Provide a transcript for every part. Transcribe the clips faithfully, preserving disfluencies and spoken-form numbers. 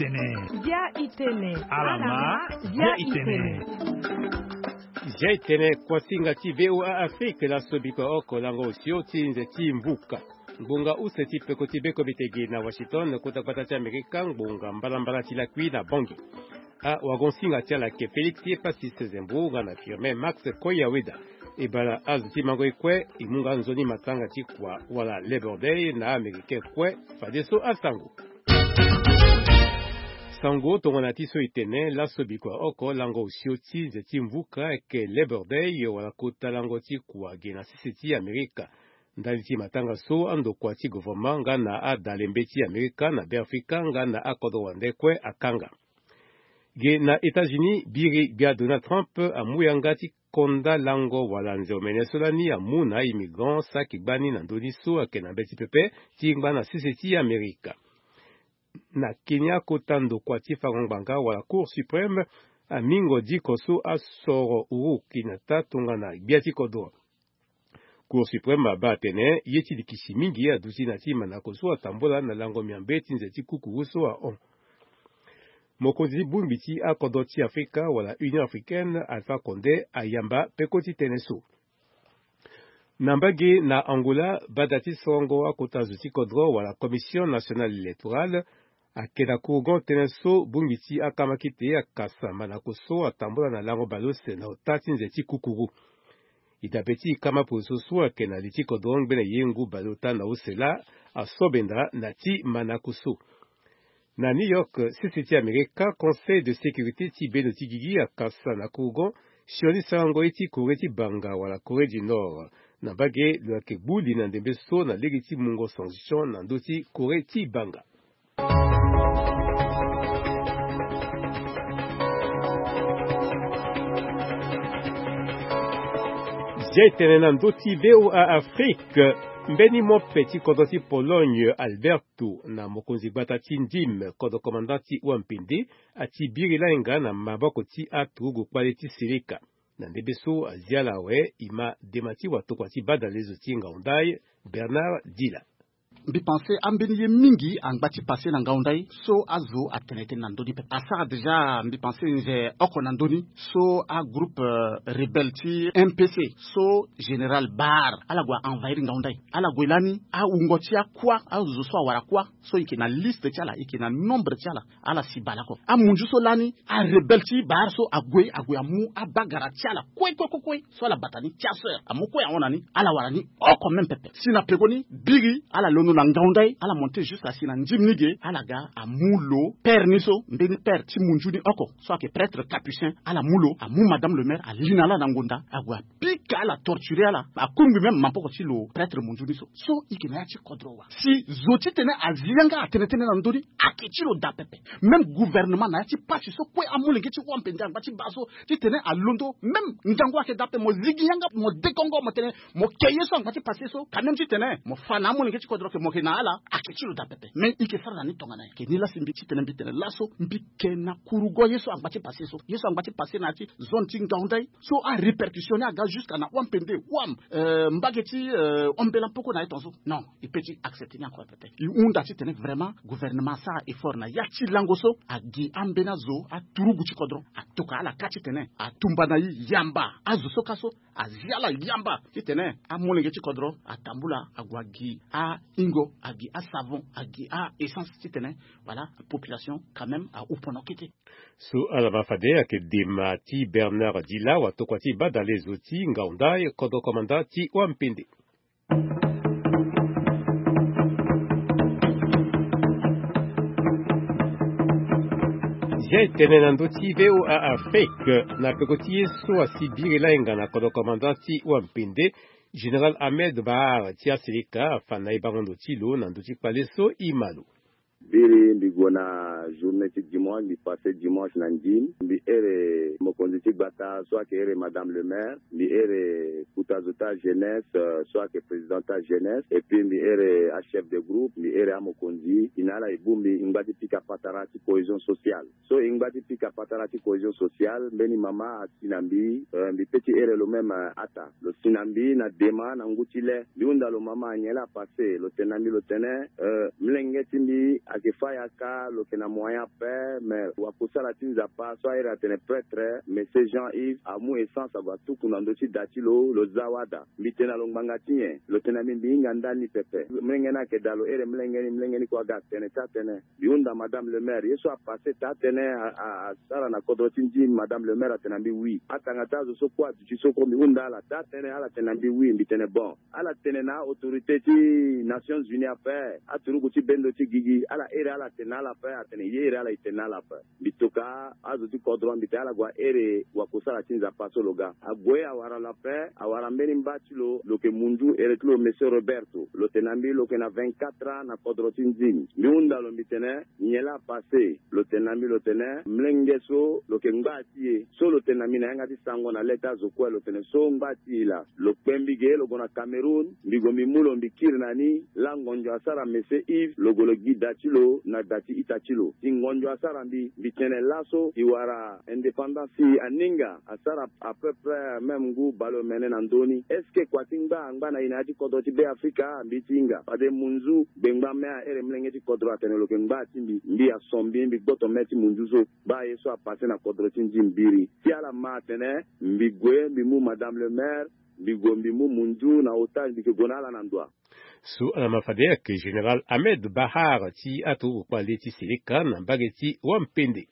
itene. Bia itene. Alama, bia itene. Bia itene. Kuasinga ti V O A Afrique, laso bikua oko lango osio ti nze ti mvuka. Ngbonga use ti peko ti beko bitege na Washington, kota gbata ti Amerika, ngbonga mbalambala ti lakui na Bangui. Awagonsinga ti ala ayeke Félix Epasis Zembo nga na Firmin Max Koyaweda. E bala azo ti mango e kue, e mu nga nzoni matanga ti kua wala Labor Day na Américain kue. Fadeso asango. Sango tongana ti so e tene, laso bikua oko lango osio ti nze ti mvuka ayeke Labor Day wala kota lango ti kua ge na sese ti Amerika. Ndali ti matanga so andokua ti gouvernement nga na adalembe ti Amerika na Beafrika nga na akodro wande kue akanga. Ge na États-Unis, biri gbia Donald Trump amu yanga ti konda lango wala nze omene so lani amu na aimmigrant saki gbani na ndö ni so ayeke na mbeti pepe ti ngba na sese ti Amerika. Na Kenya, kota ndokua ti fango ngbanga wala Cour suprême amingo diko so asoro Uhuru Kenyatta tongana gbia ti kodro. Cour suprême abaa atene ye ti likisi mingi aduti na ti manako so atambula na lango miambe ti nze ti kukuru so ahon. Mokonzi ti bongbi ti akodro ti Afrika wala Union africaine, Alpha Condé, ayamba peko ti tënë so. Na mbage na Angola, bada ti sorongo akota zo ti kodro wala Commission nationale électorale ayeke na kurugon tënë so bongbi ti akamakete akasa manako so atambula na lango baleuse na ota ti nze ti kukuru. E dabe ti e kama poroso so ayeke na li ti kodro ngbene ye ngu baleota na use laa asobenda na ti manako so. Na New York, sese ti Amerika, Conseil de sécurité ti bendo ti gigi akasa na kurugon sioni sarango ye ti Corée ti banga wala Corée du Nord. Na mbage lo yeke gbu li na ndembe so na lege ti mungo sanction na ndö ti Corée ti banga. Zia e tene na ndö ti V O A Afrique, mbeni mope ti kodro ti Pologne, Alberto, na mokonzi gbata ti ndim, kodro commandant ti wampende, ati biri lainga na maboko ti aturugu kpale ti seleka. Na ndembe so azia ala awe, e ma dema ti watokua ti badalezo ti ngaundai, Bernard Dila. Mbi pense ambeni ye mingi angba ti passe na ngaundai so azo atene tënë na ndö ni pepe. Asara déjà mbi pense nze oko na ndö ni so agroupe, euh, rebelle ti M P C so général Bar ala gue a envahir ngaundai. Ala gue lani awungo ti akua, azo so awara kua so e yeke na liste ti ala, e yeke na nombre ti ala. Ala si bale oko. Amunzu so lani, arebelle ti Bar so ague, ague amu abagara ti ala kue kue kue kue so ala bata ni ti aseur amu kue ahon na ni, ala wara ni oko même pepe. Si na pekoni biri ala londo na ngaundai, ala monte juste asi na ndim ni ge, ala ga amu lo père ni so, mbeni père ti munzu ni oko so ayeke prêtre capucin, ala mu lo, amu madame le maire ali na ala na ngonda, ague apika ala, torturer ala, akungbi même mapoko ti lo prêtre munzu ni so. So e yeke na ya ti kodro wa. Si zo titene azi yanga atene tënë na ndö ni, ayeke ti lo daa pepe. Même gouvernement na ya ti pasi so kue amolenge ti wampende angba ti baa so titene alondo, même ngangu ayeke daa pepe, mo zigi yanga, mo dekongo, mo tene mo ke ye so angba ti passe so, quand même titene mo fa na amolenge ti kodro ke mo yeke na ala, ayeke ti lo daa pepe. Mais e yeke sara na ni tongana nyen? Ke ni la si mbi titene mbi tene laso mbi ke na kurugo ye so angba ti passe so, ye so angba ti passe na ya ti zone ti ngaundai so arépercussion ni aga jusqu'à na wampende, wam, euh, mbage ti, euh, ombela mpoko na ye tongaso. Non, e peut ti accepter ni encore peut-être. E hunda titene vraiment gouvernement asara effort na ya ti lango so, agi ambeni azo aturugu ti kodro, atoka ala ka titene atumba na e yamba azo so ka so, azi ala yamba titene amolenge ti kodro atambula, ague agi ahingo, agi asavon, agi a essence titene, voilà, population quand même ahupono kete. So ala ma fade ayeke dema ti Bernard Dila, watokua ti badalezo ti ngaundai, kodro commandant ti wampende. Zia e tene na ndö ti V O A Afrique, na peko ti ye so asi biri lainga na kodro commandant ti wampende, Général Ahmed Bahar ti aseleka afa na e bango ndo ti lo na ndö ti kpale so e ma lo. Biri mbi gue na journée ti dimanche, mbi passe dimanche na ndim, mbi here mokonzi ti gbata so ayeke here madame le maire, mbi here kota zo ti ajeunesse, euh, so ayeke président ti ajeunesse, et puis mbi here achef de groupe, mbi here amokonzi, e na ala e bongbi e ngba ti pika patara ti cohésion sociale. So e ngba ti pika patara ti cohésion sociale, mbeni mama asi na mbi, euh, mbi peut ti here lo même, euh, ata. Lo si na mbi na dema na ngu ti le. Mbi hunda lo mama, nyen la apasse? Lo tene na mbi, lo tene, euh, molenge ti mbi a Ke fa yaka lo ke na moyen ape, mais wakosala ti Nzapa so airi atene prêtre, Monsieur Jean Yves, amu essence ague atuku na ndö ti da ti lo, lo za wada. Mbi tene na lo ngbanga ti nyen? Lo tene na mbi, mbi hinga ndani pepe. Molenge ni ayeke daa lo ere molenge ni, molenge ni kue aga atene taa-tënë. Mbi hunda madame le maire, ye so apasse taa-tënë a, a, asara na kodro ti ndim, madame le maire atene na mbi oui. Atanga ti azo so kue aduti so kue, mbi hunda ala taa-tënë, ala tene na mbi oui. Mbi tene bon. Ala tene na autorité ti Nations Unies ape, aturuku ti bendo ti gigi, ala ere ala tene na ala ape, atene ye ere ala e tene na ala ape. Mbi toka azo ti kodro, mbi tene ala gue aere wakosala ti Nzapa so lo ga. Ague awara lo ape, awara mbeni mba ti lo, lo ke munzu ere ti lo Monsieur Roberto. Lo tene na mbi lo ke na vingt-quatre ans na kodro ti ndim. Mbi hunda lo, mbi tene nyen laa apasse? Lo tene na mbi, lo tene molenge so lo ke ngba ti e. So lo tene na mbi na yanga ti sango na le ti azo kue, lo tene so ngba ti e laa. Lo kpe mbi ge, lo gue na Cameroun, mbi gue mbi mu lo, mbi kiri na ni. Laa ngonzo asara Monsieur Yves, lo gue lo gi da ti lo na da ti ita ti lo. Si ngonzo asara mbi, mbi tene laso e wara indépendance, si aninga asara à peu près même ngu baleomene na ndö ni. Est-ce que kua ti ngba angba na e na ya ti kodro ti Be Afrika? Mbi ti hinga. Fade munzu, gbengba me aere molenge ti kodro atene lo ke ngba ti mbi. Mbi aso mbi, mbi gboto me ti munzu so. Baa ye so apasse na kodro ti ndim mbiri. Si ala ma atene, mbi gue, mbi mu madame le maire, mbi gue, mbi mu munzu na otage, mbi ke gue na ala na ndoa. So ala ma fade ayeke Général Ahmed Bahar ti aturuku kpale ti Seleka na mbage ti Wampende.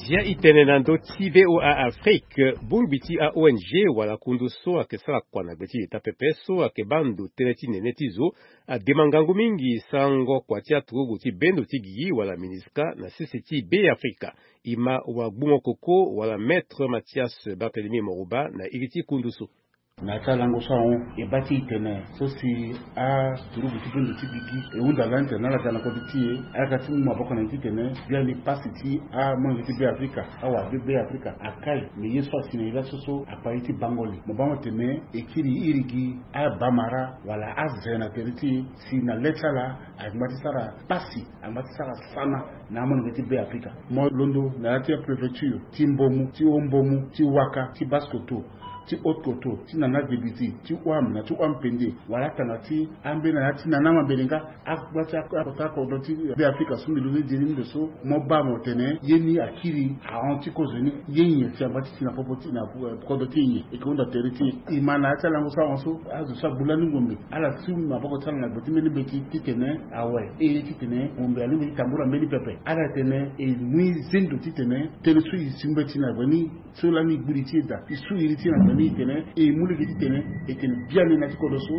Zia e tene na ndö ti V O A Afrique, bongbi ti a-O N G wala kundu so ayeke sara kua na gbe ti Leta pepe so ayeke baa ndo tënë ti nene ti zo, adema ngangu mingi sarango kua ti aturugu ti bendo ti gigi wala MINUSCA na sese ti Be Afrika. E ma wagbungo koko wala Maître Mathias Barthélemy Moroba na iri ti kundu so. Na ya ti alango so ahon, e baa ti e tene so si aturugu ti bendo ti gigi e hunda lani tene na ala ga na kodro ti e, ala ga ti mu maboko na e titene biani pasi ti amolenge ti Be Afrika, awara be Be Afrika akai. Me ye so asi na e laso so akpa ye ti bango li. Mo baa mo tene e kiri iri gi abamara wala aze na tere ti e, si na le ti ala angba ti sara pasi, angba ti sara sana na amolenge ti Be Afrika. Mo londo na ya ti apréfecture ti Mbomou, ti Haut-Mbomou, ti Ouaka, ti Basse-Kotto, ti Haute-Kotto, ti Nana Debiti, ti Ouham na ti Ouham-Pendé, wala atanga ti ambeni na ya ti Nana Mabelenga, angba ti akota kodro ti Be Afrika so mbi londo ti diri ni ndo so, mo baa mo tene ye ni akiri ahon ti kozo ni. Ye nyen si angba ti si na popo ti na, eh, kodro ti e nyen? E ke hunda tere ti e. E ma na ya ti alango so ahon so, azo so agbu lani ngombe, ala si maboko ti ala na gbe ti mbeni mbeti titene awe, e titene ngombe alingbi ti tambula mbeni pepe. Ala tene e mu e zendo titene tënë so e si mbeti na gbe ni, so lani e gbu li ti e daa, e su iri ti e na gbe ni, e tene e mu lege titene e tene biani na ya ti kodro so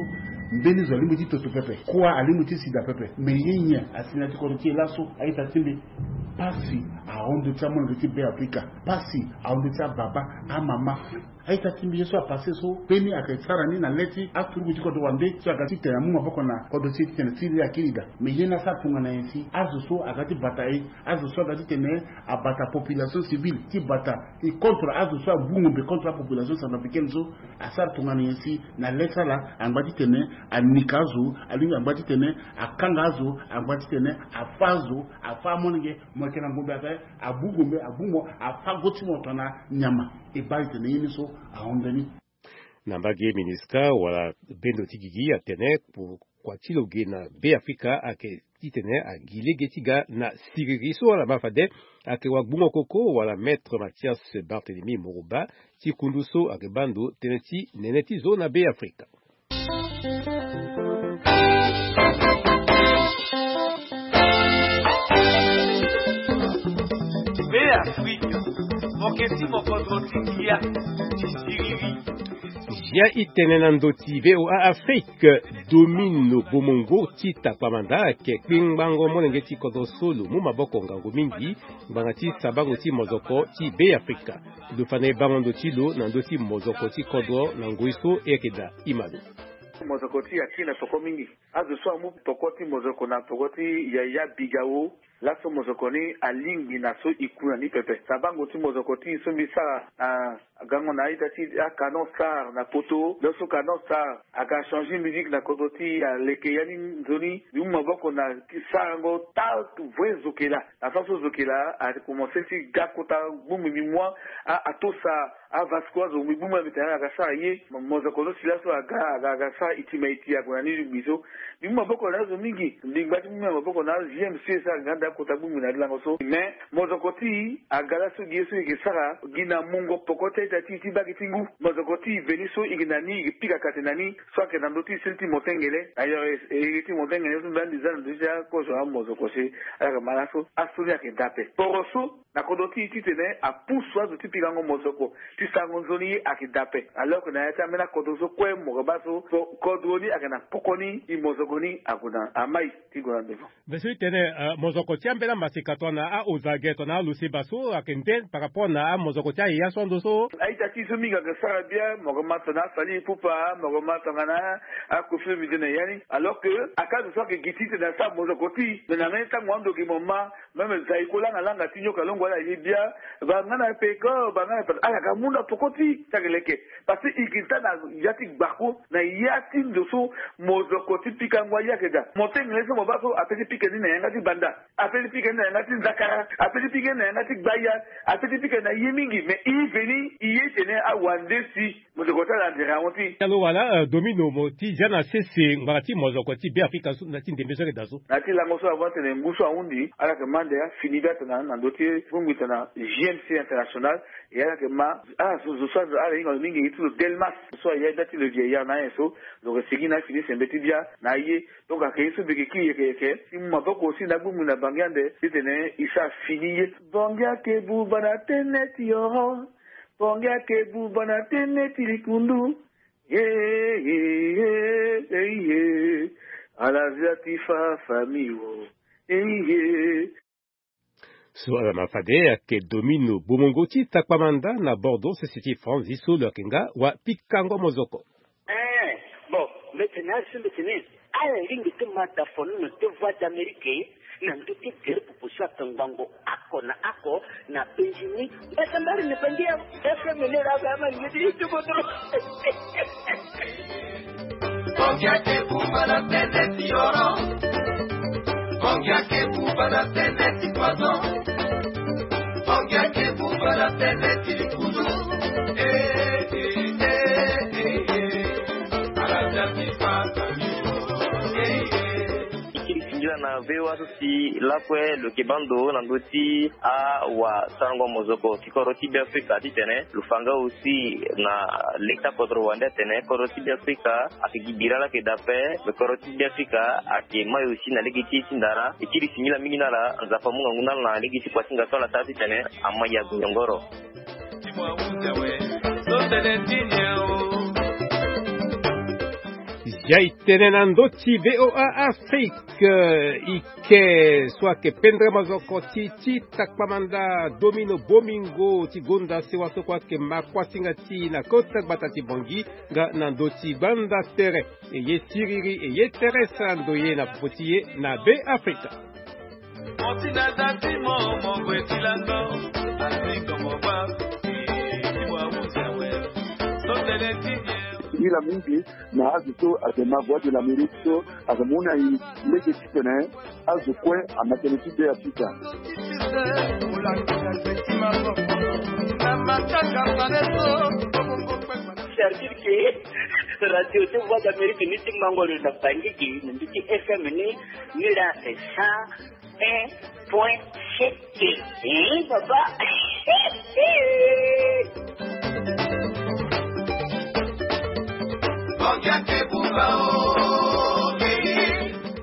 mbeni zo alingbi ti toto pepe, kua alingbi ti si daa pepe. Me ye nyen asi na ya ti kodro ti e laso, a-ita ti mbi? Pasi ahon ndö ti amolenge ti Be Afrika. Pasi ahon ndö ti ababa, amama. A-ita ti mbi, ye so apasse so, mbeni ayeke sara ni na le ti aturugu ti kodro wande so aga titene amu maboko na kodro ti e titene ti iri akiri daa. Me ye ni asara tongana nyen si azo so aga ti bata e, azo so aga titene abata population civile ti bata e contre azo so agbu ngombe contre apopulation centrafricaine so, asara tongana nyen si na le ti ala angba titene anika azo, alingbi angba titene akanga azo, angba titene afâ azo, afâ amolenge. Mo yeke na ngombe ape, agbu ngombe, agbu mo, afâ go ti mo tongana nyama. E baa e tene ye ni so ahon mbeni. Na mbage MINUSCA wala bendo ti gigi atene kua ti lo ge na Be Afrika ayeke titene agi lege ti ga na siriri. So ala ma fade ayeke wagbungo koko wala Maître Mathias Barthélemy Moroba ti kundu so ayeke baa ndo tënë ti nene ti zo na Be Afrika. Be Afrika, mo yeke ti mo kodro ti ngia ti siriri. Zia e tene na ndö ti V O A Afrique, Domino Bomongo ti Takpamanda ayeke kpengbango molenge ti kodro so lo mu maboko ngangu mingi ngbanga ti sabango ti mozoko ti Be Afrika. Lo fa na e bango ndo ti lo na ndö ti mozoko ti kodro na ngoi so e yeke daa e ma lo. Mozoko ti e akiri na peko mingi. Azo so amu peko ti mozoko na peko ti Yaya Bigao. Laso mozoko ni alingbi na so e ku na ni pepe. Sabango ti mozoko ti e so mbi sara na gango na a-ita ti aCanon Star na poto. Lo so Canon Star aga changer musique na kodro ti e, aleke ya ni nzoni. Mbi mu maboko na sarango taa vrai zokela. Na sens so zokela akomanse ti ga kota gbongbi mbi mu a, atosa Avasco azo mbi gbu mbi na mbi tene ala ga sara ye. Mozoko so si laso aga aga aga sara iti ma iti ague na ni lingbi so. Mbi mu maboko na azo mingi. Mbi ngba ti mu mbi na maboko na azo M C S aga nda kota gbu mbi na lango so. Mais mozoko ti aga laso gi ye so e ke sara gi na mungo poko ti a-ita ti e ti bagi ti ngu. Mozoko ti e veni so e ke na ni e ke pika kate na ni. So ayeke na ndö ti e seni ti motengele. Ailleurs e ti motengele so mbi andi za na ndö ti akozo amozoko si ala yeke ma laso aso ni ayeke da ape. Poro so na kodro ti e titene apusu azo ti pikango mozoko ti sarango nzoni ye ayeke da ape. Alors que na ya ti ambeni akodro so kue mo yeke baa so kodro ni ayeke na poko ni e mozoko ni ague na amai ti gue na devant. Mbi so ti tene mozoko ti ambeni amaseka tongana aozage tongana aloseba so ayeke nde par rapport na amozoko ti ayaya so ando so. A-ita ti e so mingi ayeke sara bia mo yeke ma tongana afali ipupa mo yeke ma tongana akofi lo mbi tene ya ni. Alors que aka azo so ayeke gi ti tene asara mozoko ti e me na mbeni tango ando gi mo ma. Même zaiko langa langa ti nyoka longo ala ye bia. Banga na peko banga na peko ala ga mu na poko ti ti ayeke leke. Parce que e gi nda na ya ti gbako na ya ti ndo so mozoko ti pikango aye ayeke daa. Motengele so mo baa so ape ti pika ni na yanga ti banda. Ape ti pika ni na yanga ti nzakara. Ape ti pika ni na yanga ti gbaya. Ape ti pika ni na ye mingi mais e veni e ye tene awande si. Mozoko ti ala ande rango ti e. Talo wala domino mo ti zia na sese ngbanga ti mozoko ti be afrika so na ti ndembe so ayeke daa so. Na ya ti lango so avant tene ngu so ahundi ala yeke ma ande afini bia tongana na ndö ti bongbi tongana G M C international. E ala yeke ma ala so zo so ala hinga lo mingi e ti lo delmas. So aya bia ti le vieillard na ayen so lo yeke sigi na afini sembe ti bia na aye. Donc ayeke ye so mbi yeke kiri yeke yeke ti mu maboko aussi na agbongbi na bangi ande titene e sara fini ye. Bongi ayeke buba na tënë ti yoro. Bongi ayeke buba na tënë ti likundu. Ye ye ye ye ye. Ala zia ti fa famille o. Ye ye. So ala ma fade ayeke domino bomongo ti takpamanda na bordeaux sese ti franzi so lo yeke nga wa pikango mozoko. Eh, bon, mbi tene azo mbi tene ala lingbi ti ma dafonono ti voix d'amérique na ndö ti gere popo so atongbango ako na ako na benzini. Mbata mbari na bangi ya fm ne la ba ma ngi ti tubodro. Bongi ake buba na tënë ti yoro. Bongi ake buba na tënë ti poison. Bongi ake buba na tënë ti likulu. Eh, eh, eh, eh, eh. Ala zia ti fa famille. Eh, eh. E kiri singila na V O A so si lakue lo yeke baa ndo na ndö ti awasarango mozoko ti kodro ti Beafrika titene lo fa nga aussi na leta kodro wande atene kodro ti Beafrika ayeke gi bira laa ayeke daa ape. Me kodro ti Beafrika ayeke mai aussi na lege ti e ti ndara. E kiri singila mingi na ala. Nzapa amu ngangu na ala na lege ti kuasinga so ala sara titene amai ague nyongoro. Zia e tene na ndö ti V O A Afrique. Ike so ayeke pendere mazoko ti ti takpamanda domino bomingo ti gonda sewa so kue ayeke ma kuasinga ti e na kota gbata ti Bangui nga na ndö ti gbanda tere. E ye siriri e ye tere sara ndoye na popo ti e na Beafrika. Ila mingi na azo so ayeke na Voix de l'Amérique so ayeke mu na e lege titene azo kue ama tënë ti Beafrika. C'est-à-dire que radio ti Voix d'Amérique ni ti mango lo na Bangui gi na mbi ti F M ni. Ni la c'est cent un point sept. Eh, papa.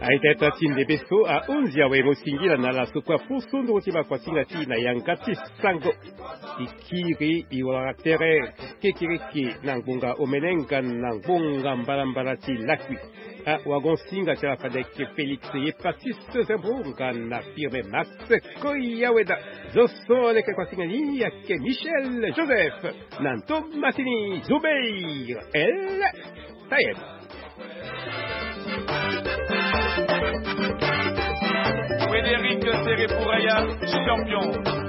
Aita ita ti ndembe so ahunzi awe mo singila na ala so kue afu so nduru ti makuasinga ti e na yanga ti sango. E kiri e wara tere kekereke na ngbonga omene nga na ngbonga mbalambala ti lakui. Awagon-singa ti ala fade ayeke Félix ye Patrice Zembo nga na Firme Max Koyaweda. Zo so leke kuasinga ni ayeke Michel Joseph na ntomasini Zubeir El Tayeb. Frédéric Serepouraya, champion.